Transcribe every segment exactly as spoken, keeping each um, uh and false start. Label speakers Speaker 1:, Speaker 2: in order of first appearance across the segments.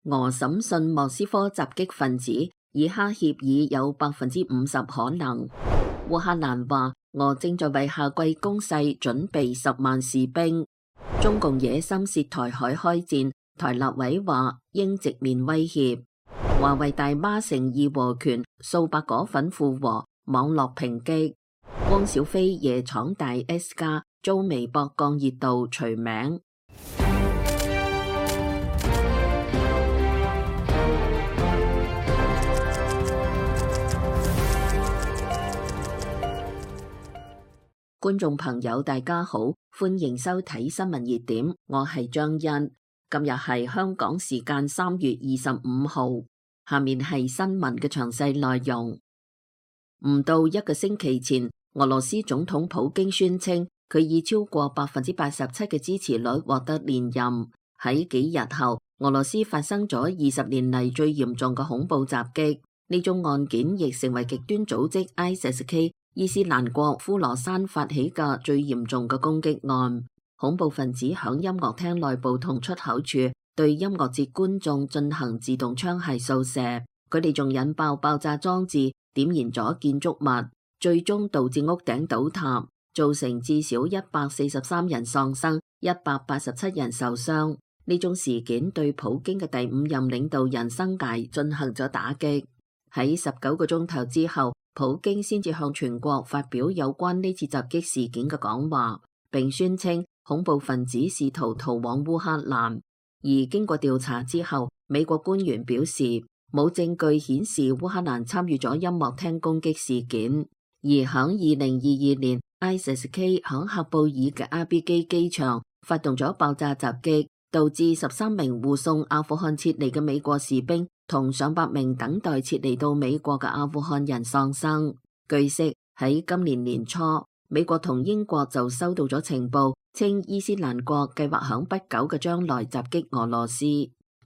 Speaker 1: 俄審訊莫斯科襲擊分子，以哈協議有百分之五十可能。烏克蘭話俄正在為夏季攻勢準備十萬士兵。中共野心涉台海開戰，台立委話應直面威脅。華為大媽成義和權，數百果粉附和，網絡抨擊。汪小菲夜闖大 S 家，遭微博降熱度除名。觀眾朋友大家好，歡迎收睇新聞熱點，我係張欣。今日係香港時間三月二十五號，下面係新聞嘅詳細內容。唔到一個星期前，俄羅斯總統普京宣稱佢以超過百分之八十七嘅支持率獲得連任。喺幾日後，俄羅斯發生咗二十年嚟最嚴重嘅恐怖襲擊，呢宗案件亦成為極端組織 I S I S K 伊斯蘭國呼羅珊發起嘅最嚴重嘅攻擊案。恐怖分子響音樂廳內部同出口處對音樂節觀眾進行自動槍械掃射，佢哋仲引爆爆炸裝置，點燃咗建築物，最終導致屋頂倒塌，造成至少一百四十三人喪生，一百八十七人受傷。呢種事件對普京嘅第五任領導人生涯進行咗打擊。喺十九個鐘頭之後，普京先至向全國發表有關呢次襲擊事件嘅講話，並宣稱恐怖分子試圖逃往烏克蘭。而經過調查之後，美國官員表示冇證據顯示烏克蘭參與咗音樂廳攻擊事件。而響二零二二年 I S I S K 響喀布爾嘅阿比基機場發動咗爆炸襲擊，導致十三名護送阿富汗撤離嘅美國士兵同上百名等待撤離到美國嘅阿富汗人喪生。據悉，喺今年年初，美國同英國就收到咗情報，稱伊斯蘭國計劃響不久嘅將來襲擊俄羅斯。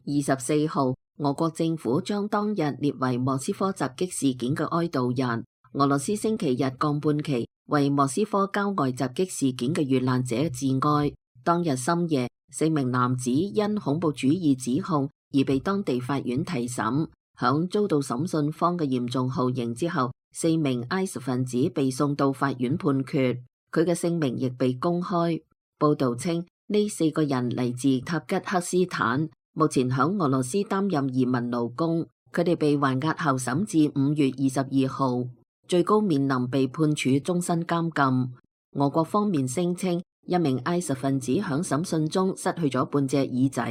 Speaker 1: 二十四號，俄國政府將當日列為莫斯科襲擊事件嘅哀悼日。俄羅斯星期日降半旗，為莫斯科郊外襲擊事件嘅遇難者致哀。當日深夜，四名男子因恐怖主義指控而被當地法院提審，響遭到審訊方嘅嚴重酷刑之後，四名 I S 分子被送到法院判決，佢嘅姓名亦被公開。報道稱呢四個人嚟自塔吉克斯坦，目前響俄羅斯擔任移民勞工，佢哋被還押候審至五月二十二號，最高面臨被判處終身監禁。俄國方面聲稱一名 I S 分子響審訊中失去咗半隻耳仔，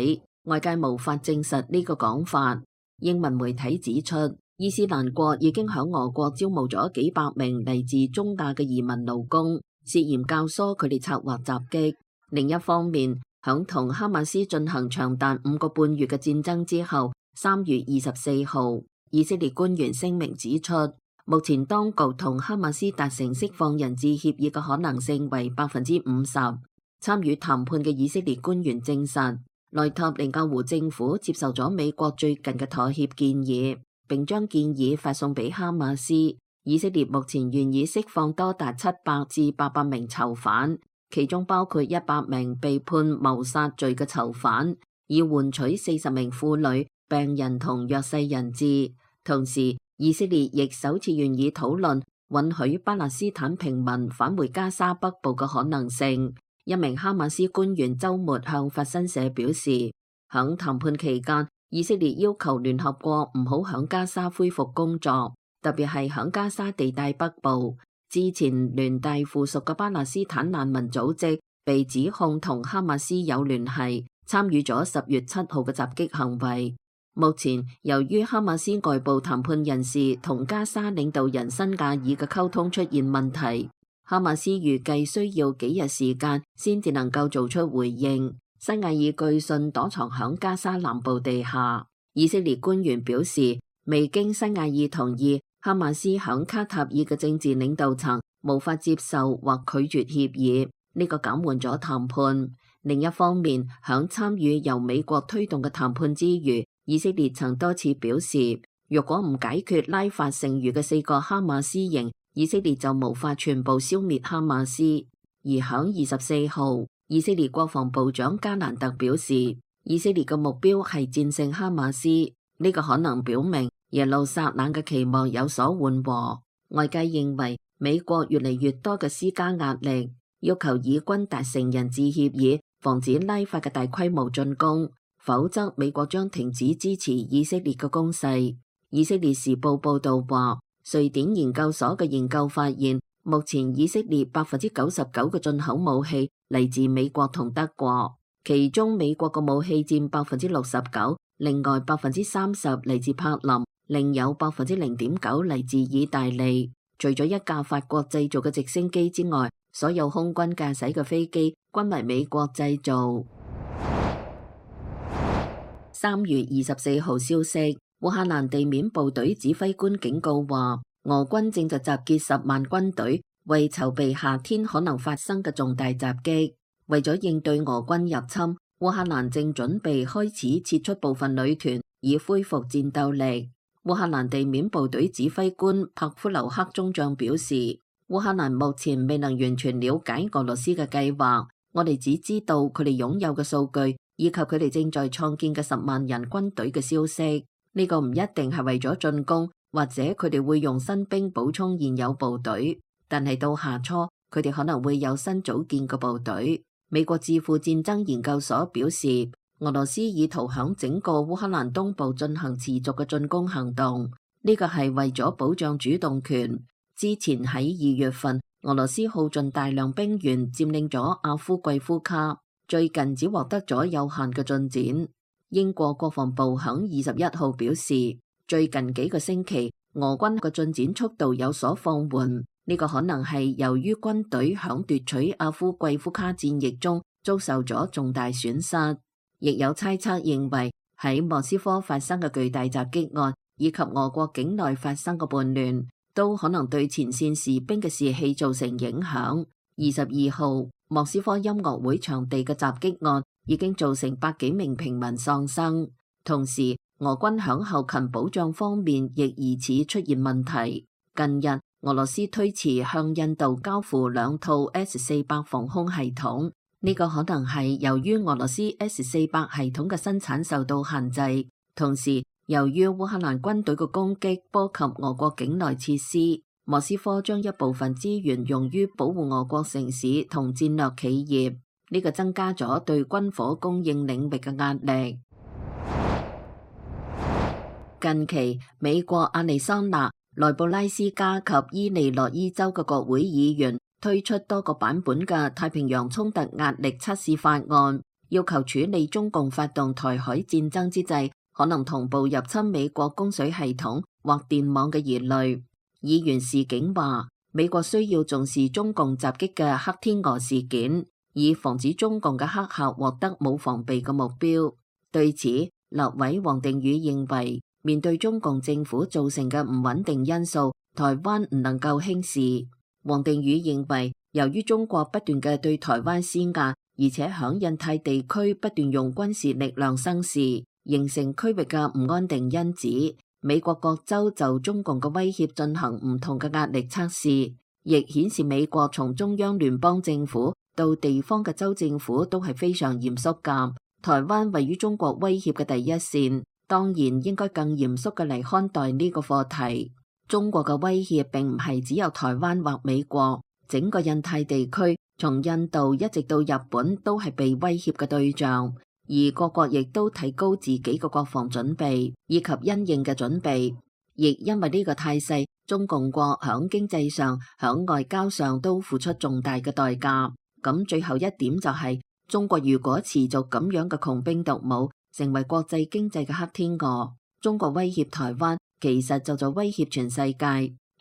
Speaker 1: 外界無法證實呢個講法。英文媒體指出，伊斯蘭國已經響俄國招募咗幾百名嚟自中亞嘅移民勞工，涉嫌教唆佢哋策劃襲擊。另一方面，響同哈馬斯進行長達五個半月嘅戰爭之後，三月二十四號，以色列官員聲明指出，目前當局同哈馬斯達成釋放人質協議嘅可能性為百分之五十。參與談判嘅以色列官員證實，內塔尼亞胡政府接受咗美國最近嘅妥協建議，並將建議發送俾哈馬斯。以色列目前願意釋放多達七百至八百名囚犯，其中包括一百名被判謀殺罪嘅囚犯，以換取四十名婦女、病人同弱勢人質。同時，以色列亦首次願意討論允許巴勒斯坦平民返回加沙北部嘅可能性。一名哈馬斯官員週末向法新社表示，響談判期間，以色列要求聯合國唔好響加沙恢復工作，特別係響加沙地帶北部。之前聯大附屬嘅巴勒斯坦難民組織被指控同哈馬斯有聯繫，參與咗十月七號嘅襲擊行為。目前，由於哈馬斯外部談判人士同加沙領導人辛亞爾嘅溝通出現問題，哈馬斯預計需要幾日時間先至能夠做出回應。辛亞爾據信躲藏響加沙南部地下。以色列官員表示，未經辛亞爾同意，哈馬斯響卡塔爾嘅政治領導層無法接受或拒絕協議，呢個減緩咗談判。另一方面，響參與由美國推動嘅談判之餘，以色列曾多次表示，若果唔解決拉法剩餘嘅四個哈馬斯營，以色列就無法全部消滅哈馬斯。而響二十四號，以色列國防部長加蘭特表示，以色列嘅目標係戰勝哈馬斯，呢個可能表明耶路撒冷嘅期望有所緩和。外界認為美國越嚟越多嘅施加壓力，要求以軍達成人質協議，防止拉法嘅大規模進攻，否則美國將停止支持以色列嘅攻勢。以色列時報報道話，瑞典研究所嘅研究發現，目前以色列百分之九十九嘅進口武器嚟自美國同德國，其中美國嘅武器佔百分之六十九，另外百分之三十嚟自柏林，另有百分之零點九嚟自意大利。除咗一架法國製造嘅直升機之外，所有空軍駕駛嘅飛機均為美國製造。三月二十四號消息，烏克蘭地面部隊指揮官警告話，俄軍正在集結十萬軍隊，為籌備夏天可能發生嘅重大襲擊。為咗應對俄軍入侵，烏克蘭正準備開始撤出部分旅團，以恢復戰鬥力。烏克蘭地面部隊指揮官帕夫留克中將表示，烏克蘭目前未能完全了解俄羅斯嘅計劃，我哋只知道佢哋擁有嘅數據，以及佢哋正在創建嘅十萬人軍隊嘅消息。呢個唔一定係為咗進攻，或者佢哋會用新兵補充現有部隊，但係到夏初，佢哋可能會有新組建嘅部隊。美國智庫戰爭研究所表示，俄羅斯意圖響整個烏克蘭東部進行持續嘅進攻行動，呢個係為咗保障主動權。之前喺二月份，俄羅斯耗盡大量兵員佔領咗阿夫季夫卡，最近只獲得咗有限嘅進展。英國國防部響二十一號表示，最近幾個星期俄軍嘅進展速度有所放緩，呢個可能係由於軍隊響奪取阿夫季夫卡戰役中遭受咗重大損失。亦有猜測認為，喺莫斯科發生嘅巨大襲擊案，以及俄國境內發生嘅叛亂，都可能對前線士兵嘅士氣造成影響。二十二號，莫斯科音樂會場地嘅襲擊案已經造成百幾名平民喪生，同時俄軍響後勤保障方面亦疑似出現問題。近日，俄羅斯推遲向印度交付兩套 S 四百防空系統。呢個可能係由於俄羅斯 S 四百系統嘅生產受到限制，同時由於烏克蘭軍隊嘅攻擊波及俄國境內設施，莫斯科將一部分資源用於保護俄國城市同戰略企業，呢個增加咗對軍火供應領域嘅壓力。近期，美國亞利桑那、內布拉斯加及伊利諾伊州嘅國會議員推出多個版本嘅太平洋衝突壓力測試法案，要求處理中共發動台海戰爭之際可能同步入侵美國供水系統或電網嘅疑慮。議員示警話，美國需要重視中共襲擊嘅黑天鵝事件，以防止中共嘅黑客獲得冇防備嘅目標。對此，立委王定宇認為，面對中共政府造成嘅唔穩定因素，台灣唔能夠輕視。王定宇認為，由於中國不斷嘅對台灣施壓，而且響印太地區不斷用軍事力量生事，形成區域嘅唔安定因子。美國各州就中共嘅威脅進行唔同嘅壓力測試，亦顯示美國從中央聯邦政府到地方嘅州政府都係非常嚴肅㗎。台灣位於中國威脅嘅第一線，當然應該更嚴肅嘅嚟看待呢個課題。中國嘅威脅並唔係只有台灣或美國，整個印太地區從印度一直到日本都係被威脅嘅對象，而各國亦都提高自己嘅國防準備以及因應嘅準備。亦因為呢個態勢，中共國響經濟上、響外交上都付出重大嘅代價。咁最後一點就係、是，中國如果持續咁樣嘅窮兵黷武，成為國際經濟嘅黑天鵝，中國威脅台灣，其實就在威脅全世界。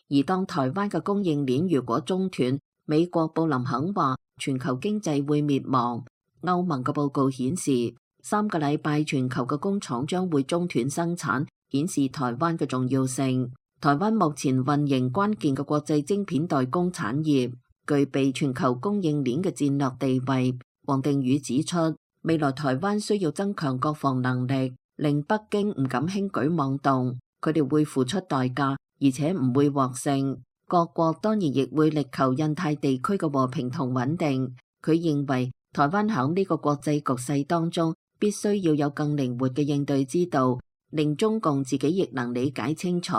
Speaker 1: 而當台灣嘅供應鏈如果中斷，美國布林肯話全球經濟會滅亡。歐盟嘅報告顯示，三個禮拜全球嘅工廠將會中斷生產，顯示台灣嘅重要性。台灣目前運營關鍵嘅國際晶片代工產業，具備全球供應鏈嘅戰略地位。王定宇指出，未來台灣需要增強國防能力，令北京唔敢輕舉妄動。佢哋會付出代價，而且唔會獲勝。各國當然亦會力求印太地區嘅和平同穩定。佢認為台灣響呢個國際局勢當中必須要有更靈活嘅應對之道，令中共自己亦能理解清楚。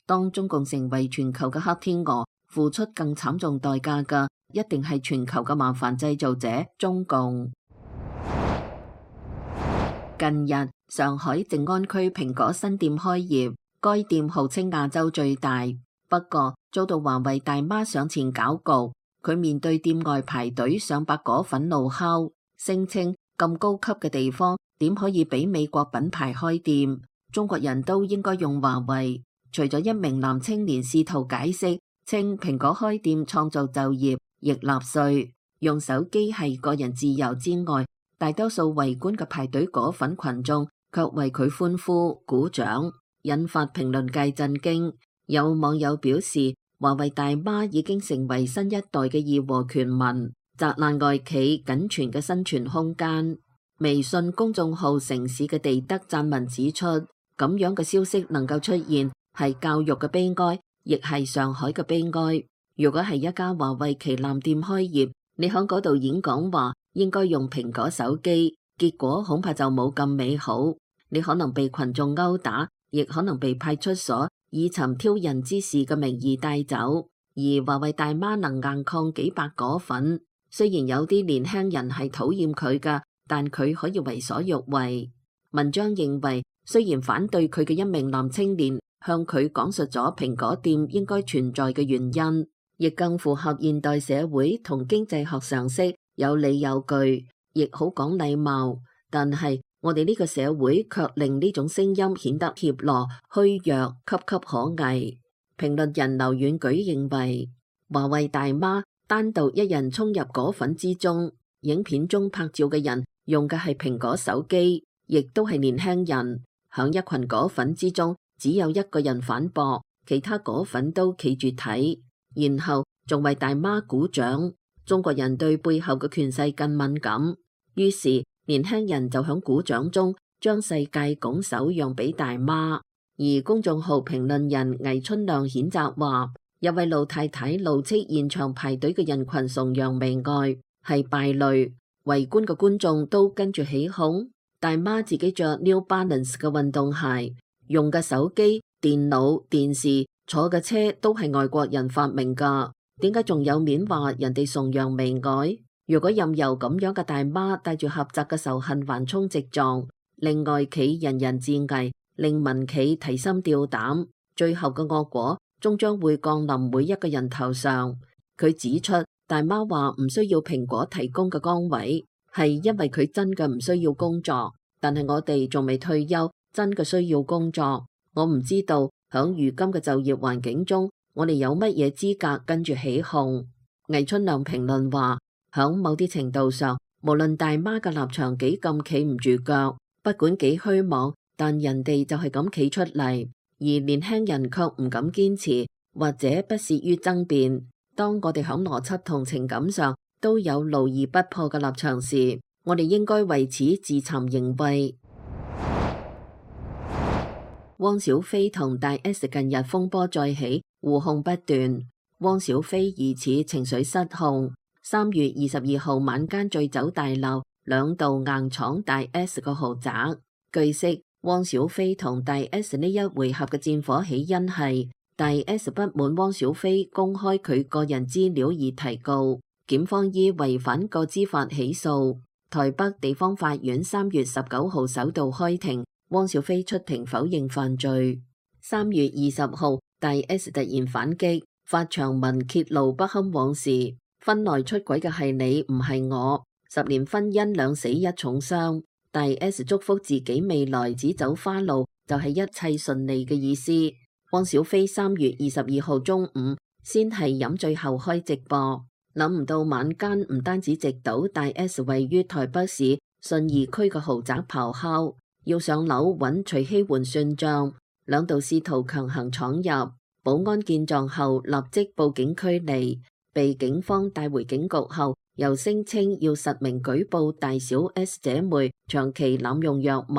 Speaker 1: 當中共成為全球嘅黑天鵝，付出更慘重代價嘅，一定係全球嘅麻煩製造者中共。近日，上海靜安區蘋果新店開業，該店號稱亞洲最大，不過遭到華為大媽上前攪局。佢面對店外排隊上百果粉怒敲，聲稱咁高級嘅地方點可以俾美國品牌開店？中國人都應該用華為。除咗一名男青年試圖解釋，稱蘋果開店創造就業亦納稅，用手機係個人自由之外，大多數圍觀嘅排隊果粉群眾卻為佢歡呼鼓掌，引發評論界震驚。有網友表示，華為大媽已經成為新一代嘅義和拳民，砸爛外企僅存嘅生存空間。微信公眾號城市嘅地德撰文指出，咁樣嘅消息能夠出現，係教育嘅悲哀，亦係上海嘅悲哀。如果係一家華為旗艦店開業，你喺嗰度演講話應該用蘋果手機，結果恐怕就冇咁美好。你可能被群眾毆打，亦可能被派出所以尋挑釁之事嘅名義帶走。而華為大媽能硬抗幾百果粉，雖然有啲年輕人係討厭佢㗎，但佢可以為所欲為。文章認為，雖然反對佢嘅一名男青年向佢講述咗蘋果店應該存在嘅原因，亦更符合現代社會同經濟學常識，有理有據，亦好講禮貌。但係我哋呢個社會卻令呢種聲音顯得怯懦、虛弱、岌岌可危。評論人劉遠舉認為，華為大媽單獨一人衝入果粉之中，影片中拍照嘅人用嘅係蘋果手機，亦都係年輕人。響一群果粉之中，只有一個人反駁，其他果粉都企住睇，然後仲為大媽鼓掌。中國人對背後嘅權勢更敏感，於是年輕人就響鼓掌中將世界拱手讓俾大媽。而公眾號評論人魏春亮譴責話，有位老太太怒斥現場排隊嘅人群崇洋媚外，係敗類，圍觀嘅觀眾都跟住起哄。大媽自己着 New Balance 嘅運動鞋，用嘅手機、電腦、電視、坐嘅車都係外國人發明噶，點解仲有面話人哋崇洋媚外？如果任由咁樣嘅大媽帶住狹窄嘅仇恨橫衝直撞，令外企人人自危，令民企提心吊膽，最後嘅惡果終將會降臨每一個人頭上。佢指出，大媽話唔需要蘋果提供嘅崗位，係因為佢真嘅唔需要工作，但係我哋仲未退休，真嘅需要工作。我唔知道響如今嘅就業環境中，我哋有乜嘢資格跟住起哄。魏春亮評論話，響某啲程度上，無論大媽嘅立場幾咁企唔住腳，不管幾虛妄，但人哋就係咁企出嚟，而年輕人卻唔敢堅持，或者不屑於爭辯。當我哋響邏輯同情感上都有牢而不破嘅立場時，我哋應該為此自慚形穢。汪小菲同大 S 近日風波再起，互控不斷。汪小菲疑似情緒失控，三月二十二號晚間醉酒大鬧，兩度硬闖大 S 個豪宅。據悉，汪小菲同大 S 呢一回合嘅戰火起因係大 S 不滿汪小菲公開佢個人資料而提告，檢方依違反個資法起訴。台北地方法院三月十九號首度開庭，汪小菲出庭否認犯罪。三月二十號，大 S 突然反擊，發長文揭露不堪往事，婚內出軌嘅係你，唔係我，十年婚姻兩死一重傷。大 S 祝福自己未來只走花路，就係一切順利嘅意思。汪小菲三月二十二號中午先係飲醉後開直播，諗唔到晚間唔單止直搗大 S 位於台北市信義區嘅豪宅咆哮，要上樓揾徐熙媛算賬，兩度試圖強行闖入，保安見狀後立即報警驅離，被警方帶回警局後，又聲稱要實名舉報大小 S 姐妹長期濫用藥物，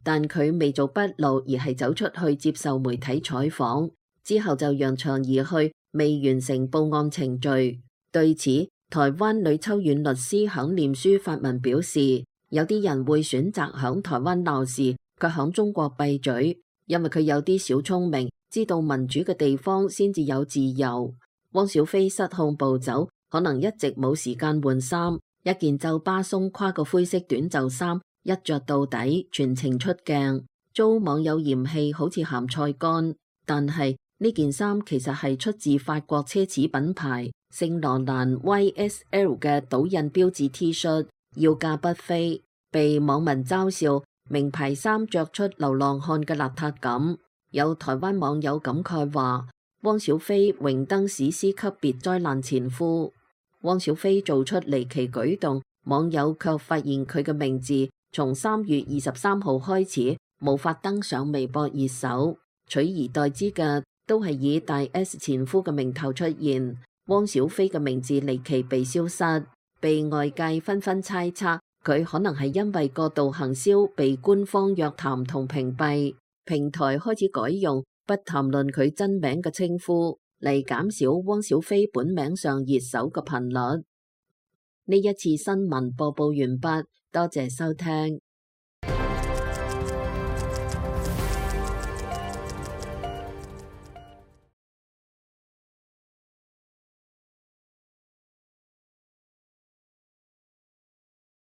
Speaker 1: 但佢未做筆錄，而係走出去接受媒體採訪，之後就揚長而去，未完成報案程序。對此，台灣呂秋遠律師響臉書發文表示，有啲人會選擇響台灣鬧事，卻響中國閉嘴，因為佢有啲小聰明，知道民主嘅地方先至有自由。汪小菲失控暴走，可能一直冇時間換衫，一件皺巴鬆垮嘅灰色短袖衫一着到底，全程出鏡，遭網友嫌棄好似鹹菜乾。但係呢件衫其實係出自法國奢侈品牌聖羅蘭 Y S L 嘅倒印標誌 T 恤，要價不菲，被網民嘲笑名牌衫着出流浪漢嘅邋遢感。有台灣網友感慨話：汪小菲榮登史詩級別災難前夫。汪小菲做出離奇舉動，網友卻發現佢嘅名字從三月二十三號開始無法登上微博熱搜，取而代之嘅都係以大 S 前夫嘅名頭出現。汪小菲嘅名字離奇被消失，被外界紛紛猜測佢可能係因為過度行銷被官方約談同屏蔽，平台開始改用不談論佢真名嘅稱呼嚟減少汪小菲本名上熱搜嘅頻率。呢一次新聞播報完畢，多謝收聽。